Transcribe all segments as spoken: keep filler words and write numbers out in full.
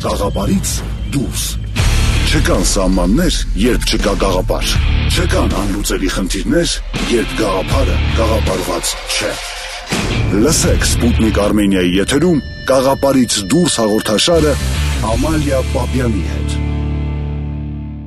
Գաղափարից դուրս։ Չկան սահմաններ, երբ չկա գաղափար։ Չկան անլուծելի խնդիրներ, երբ գաղափարը գաղափարված չէ։ Լսեք Սպուտնիկ Արմենիայի եթերում Գաղափարից դուրս հաղորդաշարը Ամալիա Պապյանի հետ։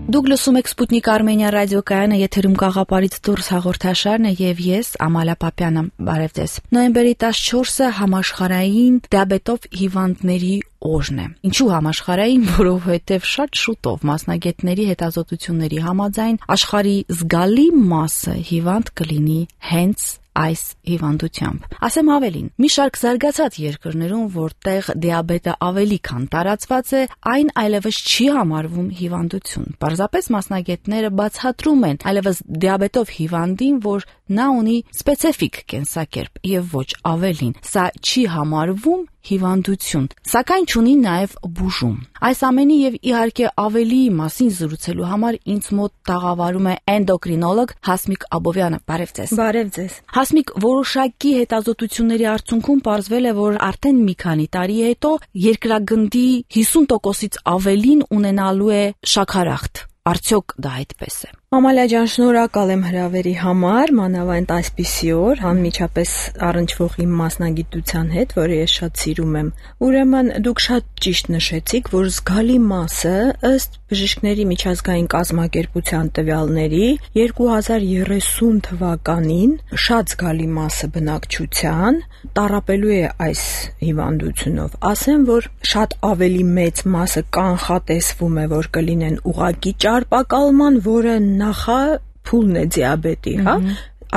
Դուք լսում եք Սպուտնիկ Արմենիա ռադիոկայանը, եթերում Գաղափարից դուրս հաղորդաշարն է եւ ես Ամալիա Պապյանը։ Բարև ձեզ։ Նոյեմբերի տասնչորսը համաշխարհային դիաբետով հիվանդների օրն է։ Ինչու համաշխարհային, որովհետեւ շատ շուտով մասնագետների հետազոտությունների համաձայն աշխարհի զգալի մասը հիվանդ կլինի հենց այս հիվանդությամբ։ Ասեմ ավելին, մի շարք զարգացած երկրներում, որտեղ դիաբետը ավելի քան տարածված է, այն այլևս չի համարվում հիվանդություն։ Պարզապես մասնագետները բացատրում են այլևս դիաբետով հիվանդին, որ նա ունի սպეციფიկ կենսակերպ եւ ոչ ավելին։ Սա չի համարվում հիվանդություն, սակայն չունի նաև բուժում։ Այս ամենի եւ իհարկե ավելի մասին զրուցելու համար ինձ մոտ տաղավարում է էնդոկրինոլոգ Հասմիկ Աբովյանը։ Բարև ձեզ։ Բարև ձեզ։ Հասմիկ, որոշակի հետազոտությունների արդյունքում պարզվել է, որ արդեն մի քանի տարի հետո երկրագնդի հիսուն տոկոսից ավելին ունենալու է շաքարախտ։ Արդյոք դա այդպես է։ Ամալիա ջան, շնորհակալ եմ հրավերի համար, մանավանդ այսպիսի օր, անմիջապես առնչվող իմ մասնագիտության հետ, որը ես շատ սիրում եմ։ Ուրեմն դուք շատ ճիշտ նշեցիք, որ զգալի մասը ըստ բժիշկների միջազգային կազմակերպության տվյալների երկու հազար երեսուն թվականին շատ զգալի մասը բնակչության տառապելու է այս հիվանդությունով։ Ասեմ, որ շատ ավելի մեծ մասը կանխատեսվում է, որ կլինեն ուղղակի ճարպակալման, որը նախա փուլն է դիաբետի, հա։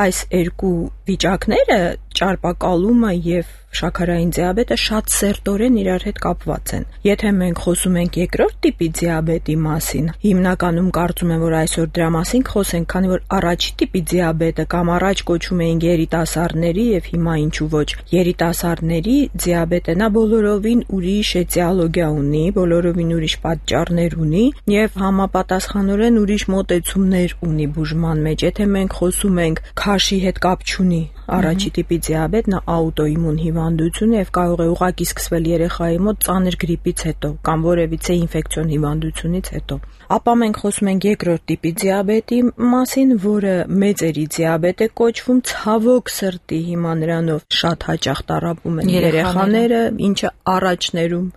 Այս երկու վիճակները, ճարպակալումը եւ շաքարային դիաբետը, շատ սերտորեն իրար հետ կապված են։ Եթե մենք խոսում ենք երկրորդ տիպի դիաբետի մասին, հիմնականում կարծում եմ, որ այսօր դրա մասին կխոսենք, քանի որ առաջի տիպի դիաբետը կամ առաջ կոչում էին երիտասարդների եւ հիմա ինչու ոչ երիտասարդների դիաբետը, նա բոլորովին ուրիշ էտիոլոգիա ունի, բոլորովին ուրիշ պատճառներ ունի եւ համապատասխանորեն ուրիշ մոտեցումներ ունի բուժման մեջ։ Եթե մենք խոսում ենք քաշի հետ կապ չունի առաջի տիպի դիաբետ, նա աուտոիմուն հիվանդություն է եւ կարող է ուղղակի սկսվել երեխայի մոտ ծանր գրիպից հետո կամ որևիցե ինֆեկցիոն հիվանդությունից հետո։ Ապա մենք խոսում ենք երկրորդ տիպի դիաբետի մասին, որը մեծերի դիաբետ է կոչվում, ցավոք սրտի հիմա նրանով շատ հաճախ տառապում են երեխաները, ինչը առաջներում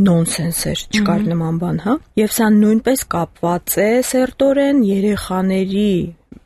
նոնսենս էր, չկար նման բան, հա։ Եվ սա նույնպես կապված է սերտորեն երեխաների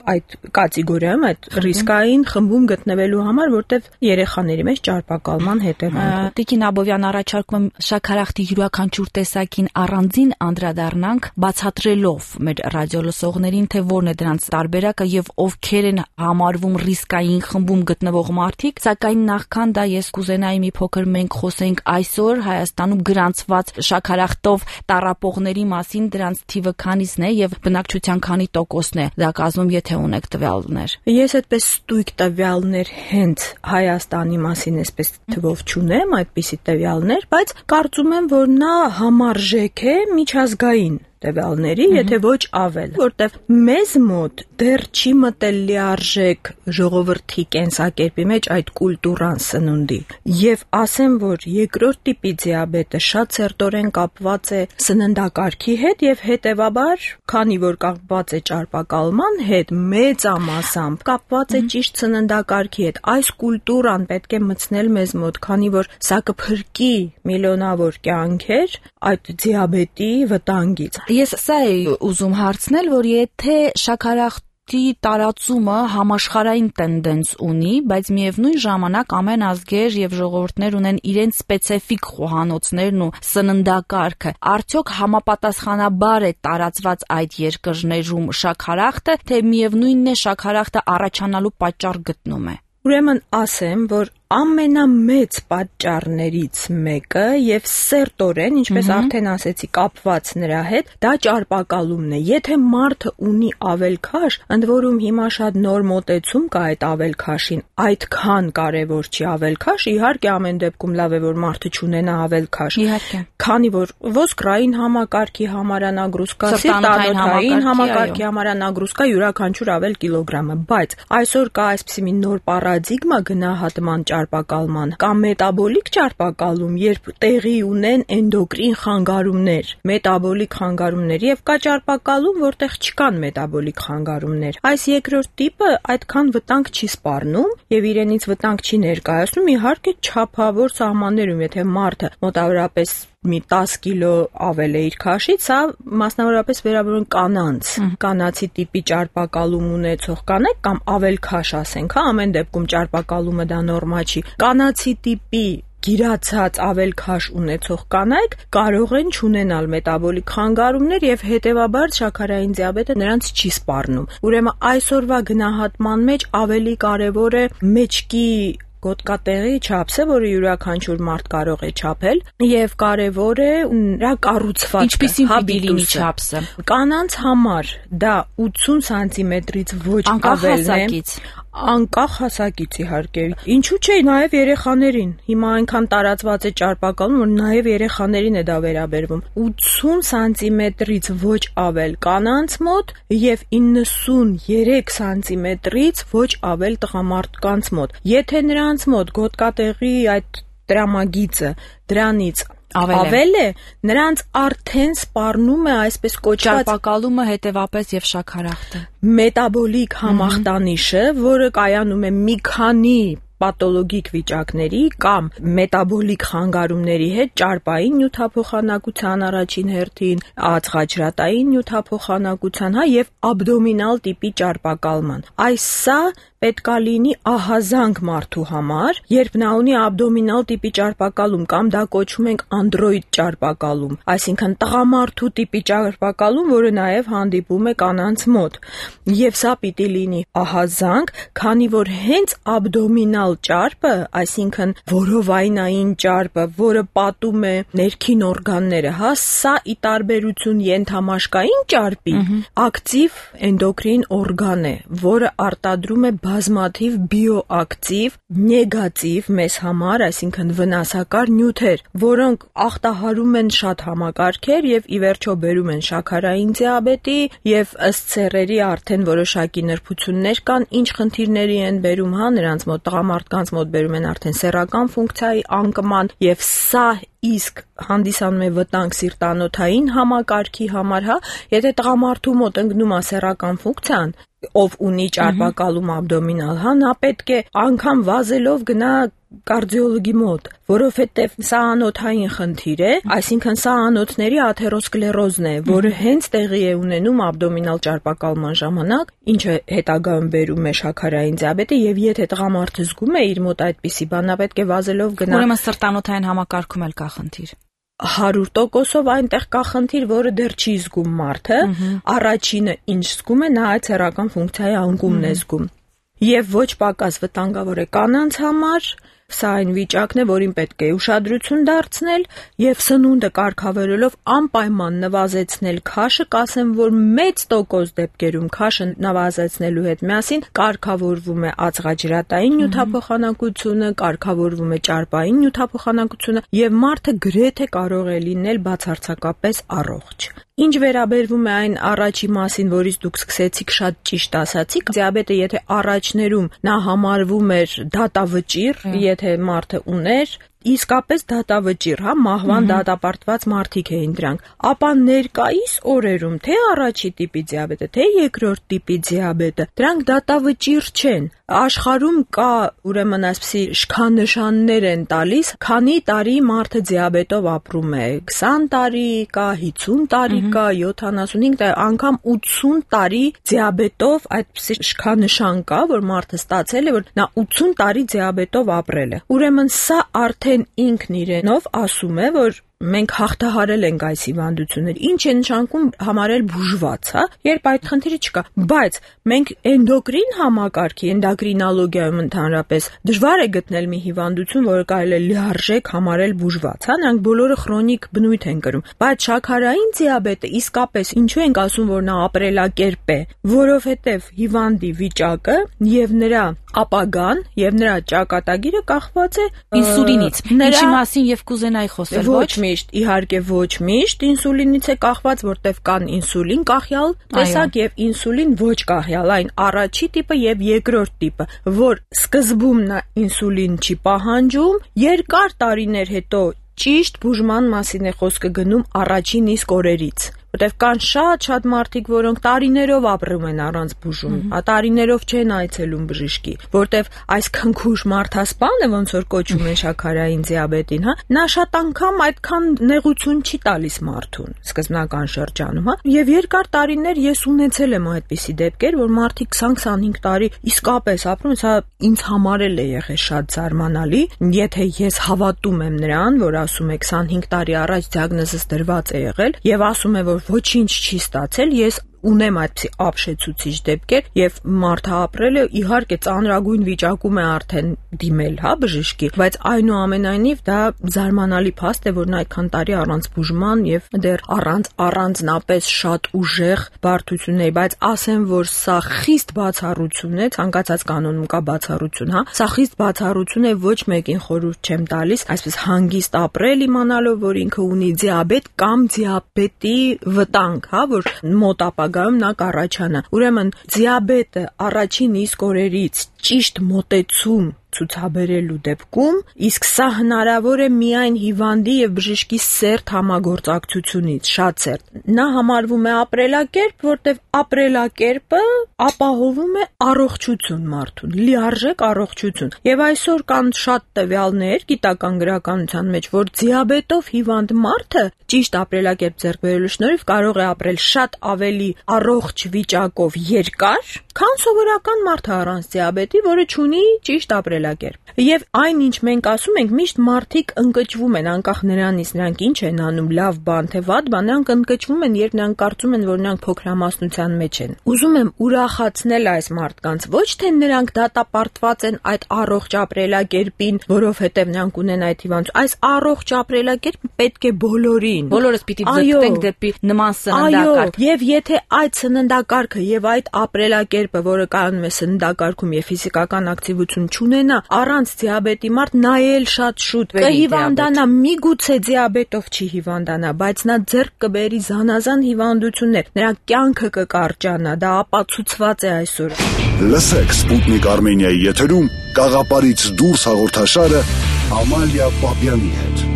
այդ կատեգորիայում, այդ ռիսկային խմբում գտնվելու համար, որտեղ երեխաների մեջ ճարպակալման հետևանքով։ Տիկին Աբովյան, առաջարկում եմ շաքարախտի յուրաքանչյուր տեսակին առանձին անդրադառնանք, բացատրելով մեր ռադիոլսողներին, թե որն է դրանց տարբերակը եւ ովքեր են համարվում ռիսկային խմբում գտնվող մարդիկ, սակայն նախքան դա ես կուզենայի մի փոքր մենք խոսենք այսօր Հայաստանում գրանցված շաքարախտով տառապողների մասին, դրանց թիվը քանիսն է եւ բնակչության քանի տոկոսն է դա կազմում, եթե ունեք տվյալներ։ Ես այդպես ստույգ տվյալներ հենց Հայաստանի մասին այսպես թվով չունեմ, այդպիսի տվյալներ, բայց կարծում եմ, որ նա համարժեք է միջազգային տվյալների, եթե ոչ ավել, որտեղ մեզ մոտ դեռ չի մտել լիարժեք ժողովրդի կենսակերպի մեջ այդ կուլտուրան սնունդի։ Եվ ասեմ, որ երկրորդ տիպի դիաբետը շատ սերտորեն կապված է սննդակարգի հետ եւ հետեւաբար, քանի որ կապված է ճարպակալման հետ, մեծամասամբ կապված է ճիշտ սննդակարգի հետ։ Այս կուլտուրան պետք է մտցնել մեզ մոտ, քանի որ սա կփրկի միլիոնավոր կյանքեր այդ դիաբետի վտանգից։ Ես սա էի ուզում հարցնել, որ եթե շաքարախտի տարածումը համաշխարհային տենդենս ունի, բայց միևնույն ժամանակ ամեն ազգեր եւ ժողովուրդներ ունեն իրենց սպეციფიկ խոհանոցներն ու սննդակարգը, արդյոք համապատասխանաբար է տարածված այդ երկրներում շաքարախտը, թե միևնույնն է շաքարախտը առաջանալու պատճառ գտնում է։ Ուրեմն ասեմ, որ ամենամեծ պատճառներից մեկը եւ սերտորեն, ինչպես արդեն ասեցի, կապված նրա հետ, դա ճարպակալումն է։ Եթե մարդը ունի ավելքաշ, ընդ որում հիմա շատ նոր մոտեցում կա այդ ավելքաշին, այդքան կարևոր չի ավելքաշ, իհարկե ամեն դեպքում լավ է, որ մարդը չունենա ավելքաշ։ Իհարկե։ Քանի որ ոսկրային համակարգի համարանագրուսկա, սիրտանոթային համակարգի համարանագրուսկա յուրաքանչյուր ավել կիլոգրամը, բայց այսօր կա այսպիսի մի նոր պարադիգմա գնահատման ճարպակալման, կամ մետաբոլիկ ճարպակալում, երբ տեղի ունեն էնդոկրին խանգարումներ, մետաբոլիկ խանգարումներ, եւ կա ճարպակալում, որտեղ չկան մետաբոլիկ խանգարումներ։ Այս երկրորդ տիպը այդքան վտանգ չի սպառնում եւ իրենից վտանգ չի ներկայացնում, իհարկե չափավոր սահմաններում, եթե մարդը մոտավորապես մի տասը կիլո ավել է իր քաշից, սա մասնավորապես վերաբերում կանանց, կանացի տիպի ճարպակալում ունեցող կանայք կամ ավել քաշ ասենք, հա, ամեն դեպքում ճարպակալումը դա նորմալ չի։ Կանացի տիպի գիրացած ավել քաշ ունեցող կանայք կարող են չունենալ մետաբոլիկ խանգարումներ եւ հետեւաբար շաքարային դիաբետը նրանց չի սպառնում։ Ուրեմն այսօրվա գնահատման մեջ ավելի կարեւոր է մեջքի գոտկատեղի չափսը, որը յուրաքանչյուր մարդ կարող է չափել, եւ կարեւոր է նրա կառուցվածքը, ինչպիսին պիտի լինի չափսը։ Կանանց համար դա ութսուն սանտիմետրից ոչ ավելն է, անկախ հասակից իհարկե։ Ինչու՞ չէ, նաեւ երեխաներին։ Հիմա այնքան տարածված է ճարպակալում, որ նաեւ երեխաներին է դա վերաբերվում։ ութսուն սանտիմետրից ոչ ավել կանանց մոտ եւ իննսուններեք սանտիմետրից ոչ ավել տղամարդկանց մոտ։ Եթե նրանց մոտ գոտկատեղի այդ տրամագիծը դրանից ավել է, նրանց արդեն սպառնում է այսպես կոչված ճարպակալումը, հետևապես եւ շաքարախտը, մետաբոլիկ համախտանիշը, որը կայանում է մի քանի պաթոլոգիկ վիճակների կամ մետաբոլիկ խանգարումների հետ ճարպային նյութափոխանակության առաջին հերթին, ածխաջրատային նյութափոխանակության, հա, եւ աբդոմինալ տիպի ճարպակալման։ Այս սա պետքա լինի ահազանգ մարդու համար, երբ նա ունի աբդոմինալ տիպի ճարպակալում կամ դա կոչում ենք անդրոիդ ճարպակալում, այսինքն տղամարդու տիպի ճարպակալում, որը նաև հանդիպում է կանանց մոտ։ Եվ սա պիտի լինի ահազանգ, քանի որ հենց աբդոմինալ ճարպը, այսինքն որովայնային ճարպը, որը պատում է ներքին օրգանները, հա, սա ի տարբերություն ենթամաշկային ճարպի, ակտիվ էնդոկրին օրգան է, որը արտադրում է բազմաթիվ բիոակտիվ, նեգատիվ մեզ համար, այսինքն վնասակար նյութեր, որոնք ախտահարում են շատ համակարգեր եւ ի վերջո բերում են շաքարային դիաբետի եւ ըստ սեռերի արդեն որոշակի նրբություններ կան, ինչ խնդիրների են բերում, հա, նրանց մոտ տղամարդկանց մոտ բերում են արդեն սեռական ֆունկցիայի անկման եւ սա իսկ հանդիսանում է վտանգ սիրտանոթային համակարգի համար, հա, եթե տղամարդու մոտ ընկնում է սեռական ֆունկցիան, ով ունի ճարպակալում աբդոմինալ, հա, նա պետք է անգամ վազելով գնա կարդիոլոգի մոտ, որովհետև սա անոթային խնդիր է, այսինքն սա անոթների աթերոսկլերոզն է, որը հենց տեղի է ունենում աբդոմինալ ճարպակալման ժամանակ, ինչը հետագայում բերում է շաքարային դիաբետը, եւ եթե տղամարդը զգում է իր մոտ այդպիսի բան, նա պետք է վազելով գնա։ Ուրեմն սրտանոթային համակարգում էլ կա խնդիր։ հարյուր տոկոսով այնտեղ կա խնդիր, որը դեռ չի զգում մարդը, առաջինը ինչ զգում է, նա այդ սեռական ֆունկցիայի անկումն է զգում։ Եվ ոչ պակաս վտանգավոր է կանանց համար, սա այն վիճակն է, որին պետք է ուշադրություն դարձնել եւ սնունդը կարգավորելով անպայման նվազեցնել քաշը, կասեմ, որ մեծ տոկոս դեպքերում քաշը նվազեցնելու հետ միասին կարգավորվում է ածխաջրատային նյութափոխանակությունը, կարգավորվում է ճարպային նյութափոխանակությունը եւ մարդը գրեթե կարող է լինել բացարձակապես առողջ։ Ինչ վերաբերվում է այն առաջի մասին, որից դուք սկսեցիք շատ ճիշտ ասացիք, դիաբետը եթե առաջներում նա համարվում էր դատավճիռ, եթե մարդը ուներ, իսկապես դատավճիռ, հա, մահվան դատապարտված մարդիկ էին դրանք, ապա ներկայիս օրերում թե առաջի տիպի դիաբետը, թե երկրորդ տիպի դիաբետը, դրանք դատավճիռ չեն։ Աշխարհում կա, ուրեմն այսպիսի շքանշաններ են տալիս, քանի տարի մարդը դիաբետով ապրում է, քսան տարի կա, հիսուն տարի կա, յոթանասունհինգ տարի, անգամ ութսուն տարի դիաբետով այդպիսի շքանշան կա, որ մարդը ստացել է, որ նա ութսուն տարի դիաբետով ապրել է։ Ուրեմն սա արդեն ինքն իրենով ասում է, որ մենք հաղթահարել ենք այս հիվանդությունները, ինչ է նշանակում համարել բուժված, հա, երբ այդ խնդիրը չկա, բայց մենք էնդոկրին համակարգի, էնդոկրինոլոգիայում ընդհանրապես դժվար է գտնել մի հիվանդություն, որը կարելի է լիարժեք համարել բուժված, հա, նրանք բոլորը քրոնիկ բնույթ են կրում, բայց շաքարային դիաբետը իսկապես ինչու ենք ասում, որ նա ապրելակերպ է, որովհետև հիվանդի վիճակը եւ նրա ապագան եւ նրա ճակատագիրը կախված է ինսուլինից, ինչի մասին եւ կուզենայի խոսել, ոչ մի միշտ, իհարկե ոչ միշտ ինսուլինից է կախված, որտեղ կան ինսուլին կախյալ տեսակ եւ ինսուլին ոչ կախյալ, այն առաջի տիպը եւ երկրորդ տիպը, որ սկզբում նա ինսուլին չի պահանջում, երկար տարիներ հետո ճիշտ բուժման մասին է խոսքը գնում առաջին իսկ օրերից, որտեղ կան շատ-շատ մարդիկ, որոնք տարիներով ապրում են առանց բուժում, տարիներով չեն այցելում բժշկի, որտեղ այս քնքուշ մարդասպանը, ոնց որ կոչում են շաքարային դիաբետին, հա, նա շատ անգամ այդքան նեղություն չի տալիս մարդուն սկզբնական շրջանում, հա, եւ երկար տարիներ ես ունեցել եմ այդպիսի դեպքեր, որ մարդիկ քսան-քսանհինգ տարի իսկապես ապրում, սա ինձ համար էլ է եղել շատ զարմանալի, եթե ես հավատում եմ նրան, որ ասում է քսանհինգ տարի առաջ դիագնոզս դրված է եղել եւ ասում է, որ ոչինչ չի ստացել, ես ունեմ այդպիսի ապշեցուցիչ դեպքեր եւ մարդը ապրել է իհարկե ծանրագույն վիճակում է արդեն դիմել, հա, բժշկի, բայց այնուամենայնիվ դա զարմանալի փաստ է, որ նա այդքան տարի առանց բուժման եւ դեռ առանց առանձնապես շատ ուժեղ բարդությունների, բայց ասեմ, որ սա խիստ բացառություն է, ցանկացած կանոնում կա բացառություն, հա, սա խիստ բացառություն է, ոչ մեկին խորհուրդ չեմ տալիս այսպես հանգիստ ապրել իմանալով, որ ինքը ունի դիաբետ կամ դիաբետի վտանգ, հա, որ մոտ ապագայում նա կառաջանա։ Ուրեմն դիաբետը առաջին իսկ օրերից ճիշտ մոտեցում ցուցաբերելու դեպքում, իսկ սա հնարավոր է միայն հիվանդի եւ բժշկի սերտ համագործակցությունից, շատ սերտ։ Նա համարվում է ապրելակերպ, որտեղ ապրելակերպը ապահովում է առողջություն մարդուն, լիարժեք առողջություն։ Եվ այսօր կան շատ տվյալներ գիտական գրականության մեջ, որ դիաբետով հիվանդ մարդը ճիշտ ապրելակերպ ձեռք բերելու շնորհիվ կարող է ապրել շատ ավելի առողջ վիճակով երկար, քան սովորական մարդը առանց դիաբետի, որը ունի ճիշտ ապրելակերպ։ Եվ այն, ինչ մենք ասում ենք, միշտ մարդիկ ընկճվում են, անկախ նրանից նրանք ինչ են անում, լավ բան թե վատ բան, նրանք ընկճվում են, երբ նրանք կարծում են, որ նրանք փոքրամասնության մեջ են։ Ուզում եմ ուրախացնել այս մարդկանց, ոչ թե նրանք դատապարտված են այդ առողջ ապրելակերպին, որովհետև նրանք ունեն այդ հիվանդություն, այս առողջ ապրելակերպը պետք է բոլորին։ Բոլորս պիտի ձգտենք դեպի նման սննդակարգ։ Եվ եթե այդ սննդակարգը եւ այդ ապրելակերպը, որը կայանում է սննդակարգում եւ ֆիզիկական ակտիվություն չունենա, առանց դիաբետի մարդ նայել շատ շուտ կհիվանդանա, միգուցե դիաբետով չի հիվանդանա, բայց նա ձեռք կբերի զանազան հիվանդություններ, նրա կյանքը կկարճանա, դա ապացուցված է այսօր։ Լսեք Սպուտնիկ Արմենիայի եթերում Կաղապարից դուրս հաղորդաշարը Ամալիա Պապյանի հետ։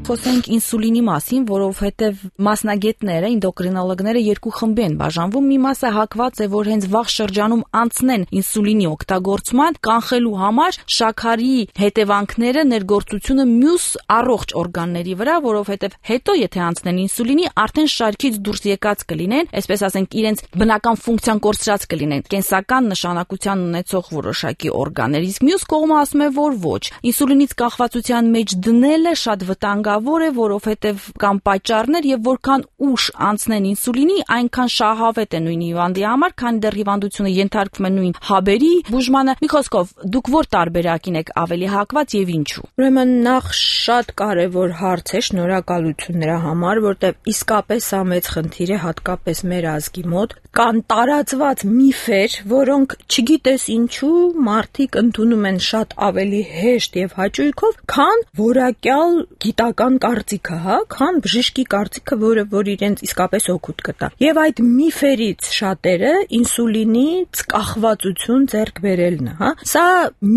Խոսենք ինսուլինի մասին, որովհետև մասնագետները, էնդոկրինոլոգները երկու խմբի են բաժանվում։ Մի մասը հակված է, որ հենց վաղ շրջանում անցնեն ինսուլինի օգտագործման, կանխելու համար շաքարի հետևանքները, ներգործությունը մյուս առողջ օրգանների վրա, որովհետև հետո եթե անցնեն ինսուլինի, արդեն շարքից դուրս եկած կլինեն, այսպես ասենք, իրենց բնական ֆունկցիան կորցրած կլինեն, կենսական նշանակության ունեցող որոշակի օրգաններ։ Իսկ մյուս կողմը ասում է, որ ոչ։ Ինսուլինից կախվածության մեջ դնելը շատ վտանգավոր է, որովհետև կան պատճառներ եւ որքան ուշ անցնեն ինսուլինի, այնքան շահավետ է նույն հիվանդի համար, քանի դեռ հիվանդությունը ենթարկվում է նույն հաբերի բուժմանը։ Մի խոսքով, դուք որ տարբերակին եք ավելի հակված եւ ինչու։ Ուրեմն նախ շատ կարեւոր հարց է, շնորհակալություն նրա համար, որտեղ իսկապես սա մեծ խնդիր է, հատկապես մեր ազգի մոտ։ Կան տարածված միֆեր, որոնք չգիտես ինչու մարդիկ ընդունում են շատ ավելի հեշտ եւ հաճույքով, քան որակյալ գիտական կարծիքը, հա, քան բժշկի կարծիքը, որը որ իրենց իսկապես օգուտ կտա։ Եվ այդ միֆերից շատերը ինսուլինից կախվածություն ձեռք բերելն է, հա։ Սա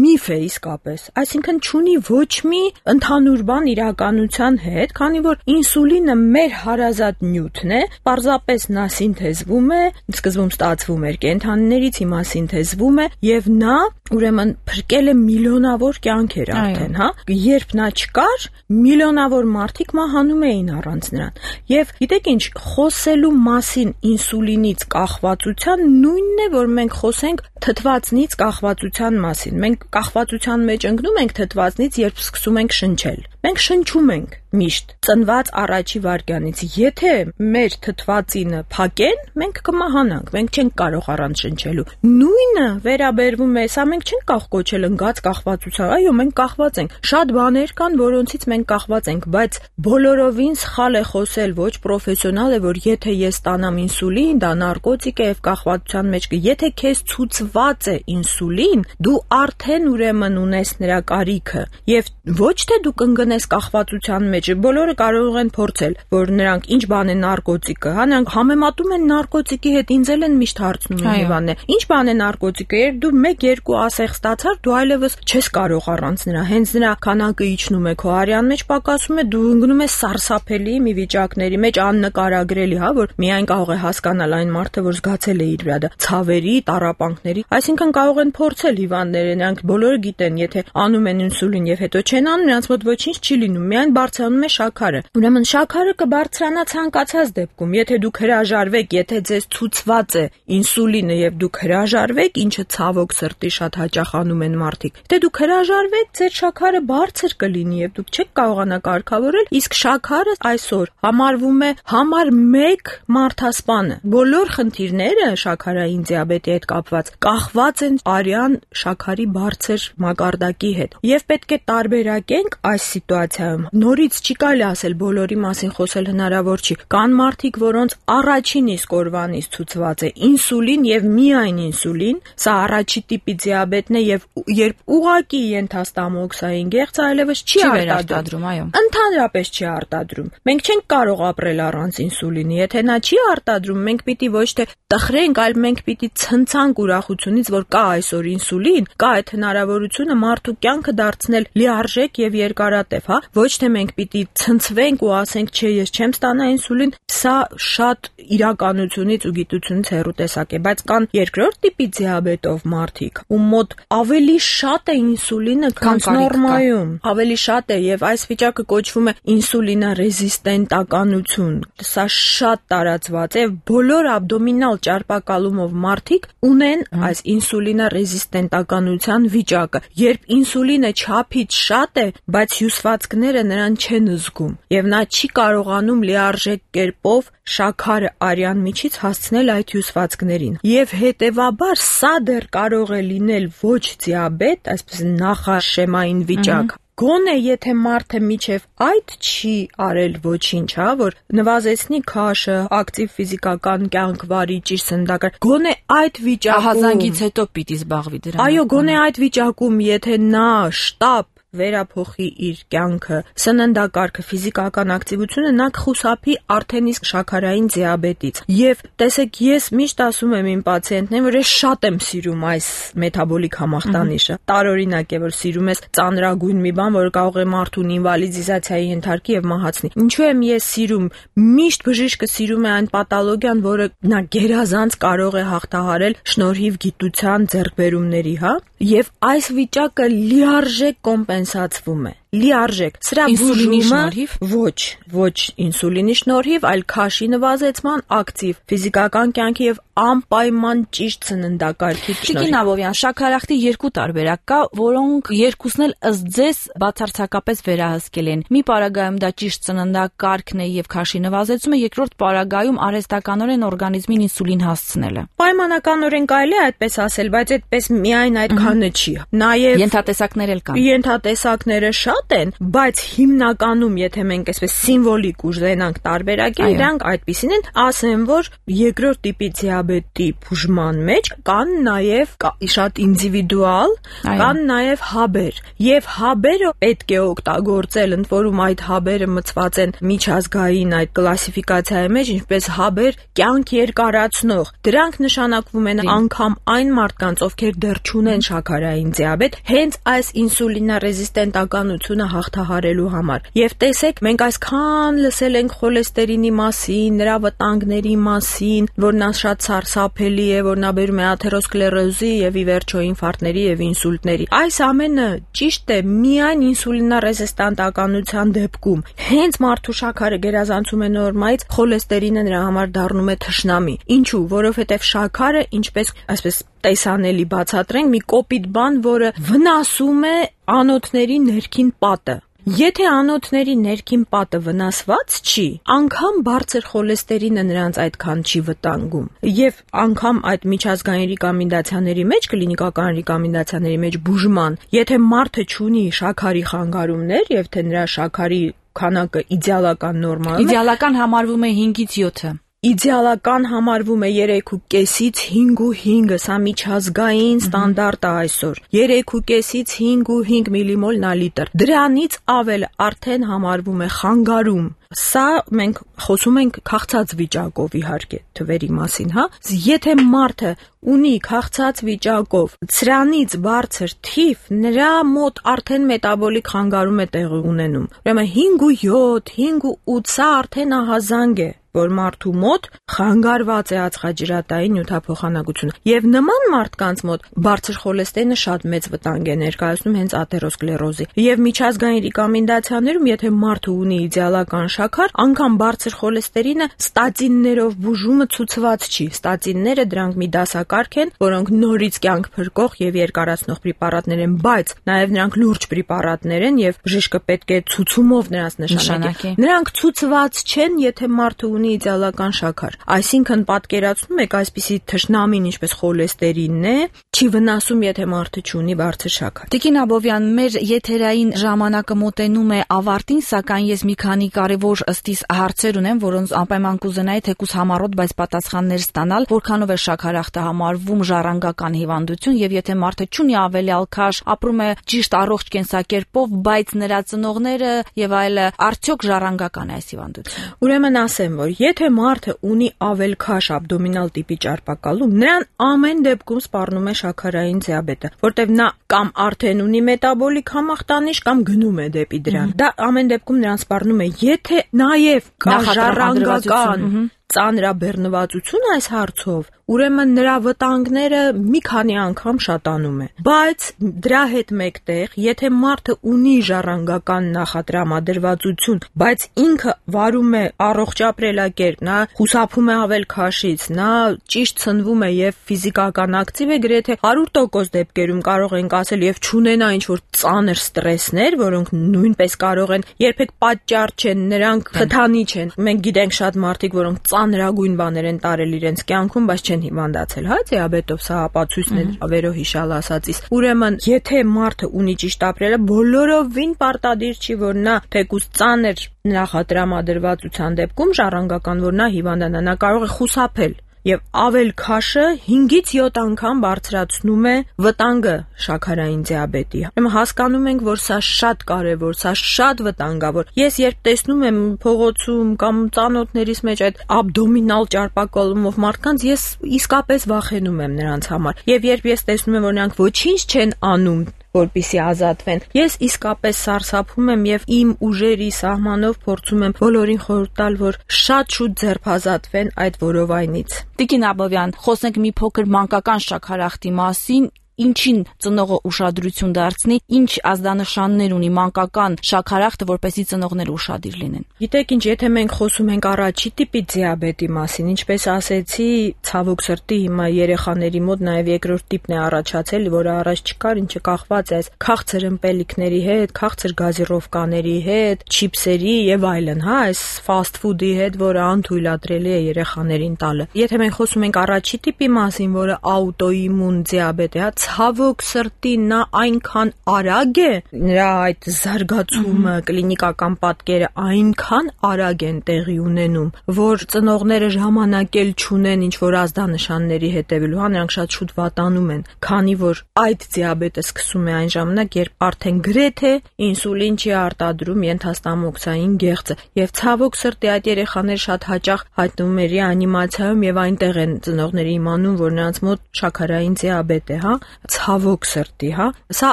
միֆ է իսկապես, այսինքն չունի ոչ մի ընդհանուր բան իրականության հետ, քանի որ ինսուլինը մեր հարազատ նյութն է, պարզապես նա սինթեզվում է, սկզբում ստացվում էր կենդանիներից, հիմա սինթեզվում է եւ նա ուրեմն փրկել է միլիոնավոր կյանքեր արդեն, հա։ Երբ նա չկար, միլիոնավոր մարդիկ մահանում էին առանց նրան։ Եվ գիտեք ինչ, խոսելու մասին ինսուլինից կախվածության նույնն է, որ մենք խոսենք թթվածնից կախվածության մասին։ Մենք կախվածության մեջ ընկնում ենք թթվածնից, երբ սկսում ենք շնչել։ Մենք շնչում ենք միշտ ծնված առաջի վայրկյանից։ Եթե մեր թթվածինը փակեն, մենք կմահանանք, մենք չենք կարող առանց շնչելու։ Նույնը վերաբերվում է, սա մենք չենք կարող կոչել ընկած կախվածության։ Այո, մենք կախված ենք։ Շատ բաներ կան, որոնցից մենք կախված ենք, բայց բոլորովին սխալ է խոսել, ոչ պրոֆեսիոնալ է, որ եթե ես ստանամ ինսուլին, դա նարկոտիկ է եւ կախվածության մեջ կը։ Եթե քեզ ցուցված է ինսուլին, դու արդեն ուրեմն ունես նրա կարիքը եւ ոչ թե դու կընկնես մտնես կախվածության մեջ, բոլորը կարող են փորձել, որ նրանք ինչ բան է նարկոտիկը, հա, նրանք համեմատում են նարկոտիկի հետ, ինձ էլ են միշտ հարցնում Հիվանդն է, ինչ բան է նարկոտիկը, երբ դու մեկ երկու ասեղ ստացար, դու այլևս չես կարող առանց նրա, հենց նրա քանակը իջնում է քո արյան մեջ, պակասում է, դու ընկնում ես սարսափելի մի վիճակների մեջ, աննկարագրելի, հա, որ միայն կարող է հասկանալ այն մարդը, որ զգացել է իր վրա դա ցավերի, տառապանքների, այսինքն կարող են փորձել հիվանդները, նրանք բոլորը գիտեն, եթե անում են ինսուլին եւ հետո չեն անում, նրանց մոտ ոչինչ չի լինում, միայն բարձրանում է շաքարը։ Ուրեմն շաքարը կբարձրանա ցանկացած դեպքում, եթե դուք հրաժարվեք, եթե ձեզ ցուցված է ինսուլինը եւ դուք հրաժարվեք, ինչը ցավոք սրտի շատ հաճախ անում են մարդիկ, եթե դուք հրաժարվեք, ձեր շաքարը բարձր կլինի եւ դուք չեք կարողանա կարգավորել, իսկ շաքարը այսօր համարվում է համար մեկ մարդասպանը։ Բոլոր խնդիրները շաքարային դիաբետի հետ կապված կախված են արյան շաքարի բարձր մակարդակի հետ։ Եվ պետք է տարբերակենք այս սիտուացիայում։ Նորից չի կարելի ասել բոլորի մասին խոսել հնարավոր չի։ Կան մարդիկ, որոնց առաջին իսկ օրվանից ցուցված է ինսուլին եւ միայն ինսուլին, սա առաջի տիպի դիաբետն է եւ երբ ուղակի ենթաստամոքսային գեղձ այլևս չի արտադրում, այո։ Ընդհանրապես չի արտադրում։ Մենք չենք կարող ապրել առանց ինսուլինի։ Եթե նա չի արտադրում, մենք պիտի ոչ թե տխրենք, այլ մենք պիտի ցնցանք ուրախությունից, որ կա այսօր ինսուլին, կա այդ հնարավորությունը մարդու կյանքը դարձնել լիարժեք եւ երկարատև, հա։ Ոչ թե մենք պիտի ցնցվենք ու ասենք, չէ, ես չեմ ստանա ինսուլին, սա շատ իրականությունից ու գիտությունից հեռու տեսակ է, բայց կան երկրորդ տիպի դիաբետով մարդիկ, ում մոտ ավելի շատ է ինսուլինը, քան նորմայում, ավելի շատ է եւ այս վիճակը կոչվում է ինսուլինարեզիստենտականություն։ Սա շատ տարածված է, բոլոր աբդոմինալ ճարպակալումով մարդիկ ունեն այս ինսուլինարեզիստենտականության վիճակը, երբ ինսուլինը չափից շատ է, բայց հյուսվածքները նրան չեն զգում եւ նա չի կարողանում լիարժեք կերպով շաքարը արյան միջից հասցնել այդ հյուսվածքներին։ Եվ հետևաբար սա դեռ կարող է լինել ոչ դիաբետ, այսպես նախաշեմային վիճակ։ Գոնե եթե մարդը միջև այդ չի արել ոչինչ, հա, որ նվազեցնի քաշը, ակտիվ ֆիզիկական կյանք վարի, ճիշտ սննդակարգ, գոնե այդ վիճակում ահազանգից հետո պիտի զբաղվի դրանով։ Այո, գոնե այդ վիճակում, եթե նա շտապ վերափոխի իր կյանքը, սննդակարգը, ֆիզիկական ակտիվությունը, նա կխուսափի արդեն իսկ շաքարային դիաբետից։ Եվ տեսեք, ես միշտ ասում եմ իմ պացիենտներին, որ ես շատ եմ սիրում այս մետաբոլիկ համախտանիշը։ Տարօրինակ է, որ սիրում ես ծանրագույն մի բան, որը կարող է մարդուն ինվալիդիզացիայի ենթարկի եւ մահացնի։ Ինչու եմ ես սիրում։ Միշտ բժիշկը սիրում է այն պաթոլոգիան, որը նա գերազանց կարող է հաղթահարել շնորհիվ գիտության ձեռքբերումների, հա։ Եվ այս վիճակը լիարժեք կոմպենսացվում է։ Լիարժեք։ Սրա ինսուլինի շնորհիվ ոչ, ոչ ինսուլինի շնորհիվ, այլ քաշի նվազեցման, ակտիվ ֆիզիկական կյանքի եւ անպայման ճիշտ սննդակարգի շնորհիվ։ Տիկին Աբովյան, շաքարախտի երկու տարբերակ կա, որոնք երկուսն էլ ըստ ձեզ բացարձակապես վերահսկել են։ Մի պարագայում դա ճիշտ սննդակարգն է եւ քաշի նվազեցումը, երկրորդ պարագայում արհեստականորեն օրգանիզմին ինսուլին հասցնելը։ Պայմանականորեն կարելի է այդպես ասել, բայց այդպես միայն այդքանը չի։ Նաեւ ենթատեսակներ էլ կան։ Ենթատեսակները շատ են, բայց հիմնականում, եթե մենք այսպես սիմվոլիկ ուժենանք տարբերակել, դրանք այդպիսին են, ասեմ, որ երկրորդ տիպի դիաբետի բուժման մեջ կան նաև շատ ինդիվիդուալ, կան նաև հաբեր, եւ հաբերը պետք է օգտագործել, ընդ որում այդ հաբերը մտցված են միջազգային այդ կլասիֆիկացիայի մեջ, ինչպես հաբեր կյանք երկարացնող։ Դրանք նշանակվում են անգամ այն մարդկանց, ովքեր դեռ չունեն շաքարային դիաբետ, հենց այս ինսուլինարեզիստենտականությունը հաղթահարելու համար։ Եվ տեսեք, մենք այսքան լսել ենք խոլեստերինի մասին, նրա վտանգների մասին, որ նա շատ սարսափելի է, որ նա բերում է աթերոսկլերոզի եւ ի վերջո ինֆարկտների եւ ինսուլտների։ Այս ամենը ճիշտ է միայն ինսուլինարեզիստենտականության դեպքում։ Հենց մարդու շաքարը գերազանցում է նորմայից, խոլեստերինը նրա համար դառնում է թշնամի։ Ինչու՞, որովհետեւ շաքարը, ինչպես այսպես տեսանելի բացատրենք, մի կոպիտ բան, որը վնասում է անոթների ներքին պատը։ Եթե անոթների ներքին պատը վնասված չի, անգամ բարձր խոլեստերինը նրանց այդքան չի վտանգում։ Եվ անգամ այդ միջազգային ռեկոմենդացիաների մեջ, կլինիկական ռեկոմենդացիաների մեջ բուժման, եթե մարդը չունի շաքարի խանգարումներ եւ թե նրա շաքարի քանակը իդեալական նորմայում է, իդեալական համարվում է հինգից յոթը։ իդեալական համարվում է երեք ու կեսից հինգ ու հինգը, սա միջազգային ստանդարտ է այսօր։ երեք ու կեսից հինգ ու հինգ միլիմոլ նա լիտր։ Դրանից ավելը արդեն համարվում է խանգարում։ Սա մենք խոսում ենք քաղցած վիճակով իհարկե թվերի մասին, հա։ Եթե մարդը ունի քաղցած վիճակով սրանից բարձր թիվ, նրա մոտ արդեն մետաբոլիկ խանգարում է տեղի ունենում։ Ուրեմն հինգ ու յոթ, հինգ ու ութ սա արդեն ահազանգ է, որ մարդու մոտ խանգարված է ածխաջրատային նյութափոխանակությունը։ Եվ նման մարդկանց մոտ բարձր խոլեստերինը շատ մեծ վտանգ է ներկայացնում հենց աթերոսկլերոզի։ Եվ միջազգային ռեկոմենդացիաներում, եթե մարդը ունի իդեալական շաքար, անգամ բարձր խոլեստերինը ստատիններով բուժումը ցուցված չի։ Ստատինները դրանք մի դասակարգ են, որոնք նորից կյանք փրկող եւ երկարացնող պրեպարատներ են, բայց նաեւ նրանք լուրջ պրեպարատներ են եւ բժիշկը պետք է ցուցումով նրանց նշանակի։ Նրանք ցուցված չեն, եթե մարդը ունի իդեալական շաքար։ Այսինքն պատկերացնում եք այսպիսի թշնամին, ինչպես խոլեստերինն է, չի վնասում, եթե մարդը չունի բարձր շաքար։ Տիկին Աբովյան, մեր եթերային ժամանակը մոտենում է ավարտին, սակայն ես մի քանի կարևոր ըստիս հարցեր ունեմ, որոնց անպայման կուզենայի թեկուզ համառոտ, բայց պատասխաններ ստանալ, որքանով է շաքարախտը համարվում ժառանգական հիվանդություն եւ եթե մարդը չունի ավելյալ քաշ, ապրում է ճիշտ առողջ կենսակերպով, բայց նրա ծնողները եւ այլը, արդյոք ժառանգական է այս հիվանդությունը։ Ուրեմն ասեմ, որ եթե մարդը ունի ավելքաշ աբդոմինալ տիպի ճարպակալում, նրան ամեն դեպքում սպառնում է շաքարային դիաբետը, որտեղ նա կամ արդեն ունի մետաբոլիկ համախտանիշ կամ գնում է դեպի դրան։ Դա ամեն դեպքում նրան սպառնում է, եթե նաև կա ժառանգական ծանրաբեռնվածություն այս հարցով, ուրեմն նրա վտանգները մի քանի անգամ շատանում է։ Բայց դրա հետ մեկտեղ, եթե մարդը ունի ժառանգական նախատրամադրվածություն, բայց ինքը վարում է առողջ ապրելակերպ, նա խուսափում է ավել քաշից, նա ճիշտ ցնվում է եւ ֆիզիկական ակտիվ է, գրեթե հարյուր տոկոս դեպքերում կարող ենք ասել եւ չունենա ինչ-որ ծանր ստրեսներ, որոնք նույնպես կարող են երբեք պատճառ չեն, նրանք խթանի չեն։ Մենք գիտենք շատ մարդիկ, որոնք ծանրագույն բաներ են տարել իրենց կյանքում, բայց չեն հիվանդացել, հա, դիաբետով, սա ապացույցն է վերոհիշալ ասածից։ Ուրեմն, եթե մարդը ունի ճիշտ ապրելը, բոլորովին պարտադիր չի, որ նա թեկուզ ծանր նախատրամադրվածության դեպքում ժառանգական, որ նա հիվանդանա, նա կարող է խուսափել։ Եվ ավել քաշը հինգից յոթ անգամ բարձրացնում է վտանգը շաքարային դիաբետի։ Ուրեմն հասկանում ենք, որ սա շատ կարևոր, սա շատ վտանգավոր։ Ես երբ տեսնում եմ փողոցում կամ ծանոթներիս մեջ այդ աբդոմինալ ճարպակալումով մարդկանց, ես իսկապես վախենում եմ նրանց համար։ Եվ երբ ես տեսնում եմ, որ նրանք ոչինչ չեն անում, որպեսզի ազատվեն, ես իսկապես սարսափում եմ եւ իմ ուժերի սահմանով փորձում եմ բոլորին խորհուրդ տալ, որ շատ շուտ ձերբազատվեն այդ որովայնից։ Տիկին Աբովյան, խոսենք մի փոքր մանկական շաքարախտի մասին։ Ինչին ծնողը ուշադրություն դարձնի, ինչ ազդանշաններ ունի մանկական շաքարախտը, որպեսզի ծնողները ուշադիր լինեն։ Գիտեք ինչ, եթե մենք խոսում ենք առաջի տիպի դիաբետի մասին, ինչպես ասեցի, ցավոք սրտի հիմա երեխաների մոտ նաև երկրորդ տիպն է առաջացել, որը առաջ չկար, ինչը կախված է այս քաղցր ըմպելիքների հետ, քաղցր գազիրովկաների հետ, չիփսերի եւ այլն, հա, այս ֆաստ ֆուդի հետ, որը անթույլատրելի է երեխաներին տալը։ Եթե մենք խոսում ենք առաջի տիպի մասին, որը աուտոիմուն դիաբետ է, հա, ցավոք սրտի նա այնքան արագ է, նրա այդ զարգացումը, կլինիկական պատկերը այնքան արագ են տեղի ունենում, որ ծնողները ժամանակ էլ չունեն ինչ-որ ազդանշանների հետևելու, հա, նրանք շատ շուտ վատանում են, քանի որ այդ դիաբետը սկսում է այն ժամանակ, երբ արդեն գրեթե ինսուլին չի արտադրում ենթաստամոքսային գեղձը, եւ ցավոք սրտի այդ երեխաները շատ հաճախ հայտնվում են ռեանիմացիայում եւ այնտեղ են ծնողները իմանում, որ նրանց մոտ շաքարային դիաբետ է, հա, ցավոք սրտի, հա, սա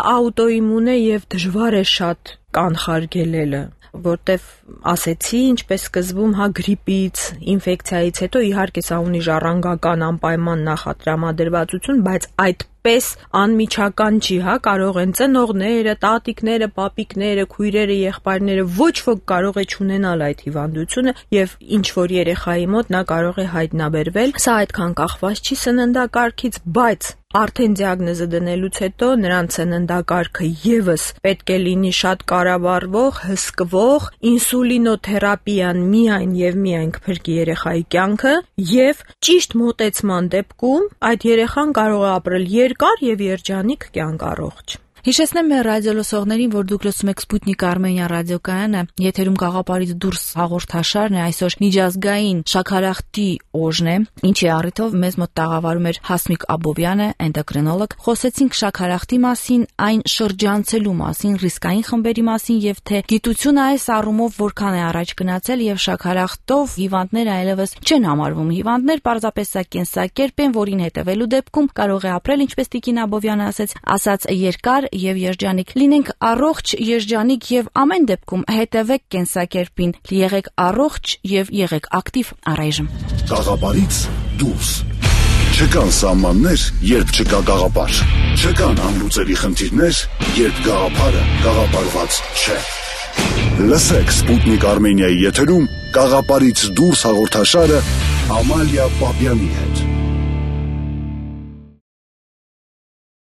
աուտոիմուն է եւ դժվար է շատ կանխարգելելը, որտեվ ասեցի, ինչպես սկզբում, հա, գրիպից, ինֆեկցիայից հետո իհարկե սա ունի ժառանգական անպայման նախատրամադրվածություն, բայց այդ պես անմիջական չի, հա, կարող են ծնողները, տատիկները, պապիկները, քույրերը, եղբայրները, ոչ ոք կարող է չունենալ այդ հիվանդությունը եւ ինչ որ երեխայի մոտ նա կարող է հայտնաբերվել։ Սա այդքան կախված չի սննդակարգից, բայց արդեն դիագնոզը դնելուց հետո նրանց սննդակարգը եւս պետք է լինի շատ կառավարվող, հսկվող, ինսուլինոթերապիան միայն եւ միայն կփրկի երեխայի կյանքը եւ ճիշտ մոտեցման դեպքում այդ երեխան կարող է ապրել երկար եւ երջանիկ կյանք առողջ։ Հիշեցնեմ մեր ռադիոլսողներին, որ դուք լսում եք Սպուտնիկ Արմենիա ռադիոկայանը, եթերում Գաղափարից դուրս հաղորդաշարն է, այսօր միջազգային շաքարախտի օժն է, ինչի առիթով մեզ մոտ տաղավարում էր Հասմիկ Աբովյանը, էնդոկրինոլոգ։ Խոսեցինք շաքարախտի մասին, այն շրջանցելու մասին, ռիսկային խմբերի մասին եւ թե գիտությունը այս առումով որքան է առաջ գնացել եւ շաքարախտով հիվանդները այլևս չեն համարվում հիվանդներ, պարզապես սա կենսակերպ են, որին հետևելու դեպքում կարող է ապրել, ինչպես Տիկին Աբովյանը ասաց, ասաց երկար եւ երջանիկ։ Լինենք առողջ, երջանիկ եւ ամեն դեպքում հետևեք կենսակերպին, եղեք առողջ եւ եղեք ակտիվ առայժմ։ Գաղափարից դուրս։ Չկան սահմաններ, երբ չկա գաղափար։ Չկան անլուծելի խնդիրներ, երբ գաղափարը գաղափարված չէ։ Լսեք Սպուտնիկ Արմենիայի եթերում Գաղափարից դուրս հաղորդաշարը Ամալիա Պապյանի հետ։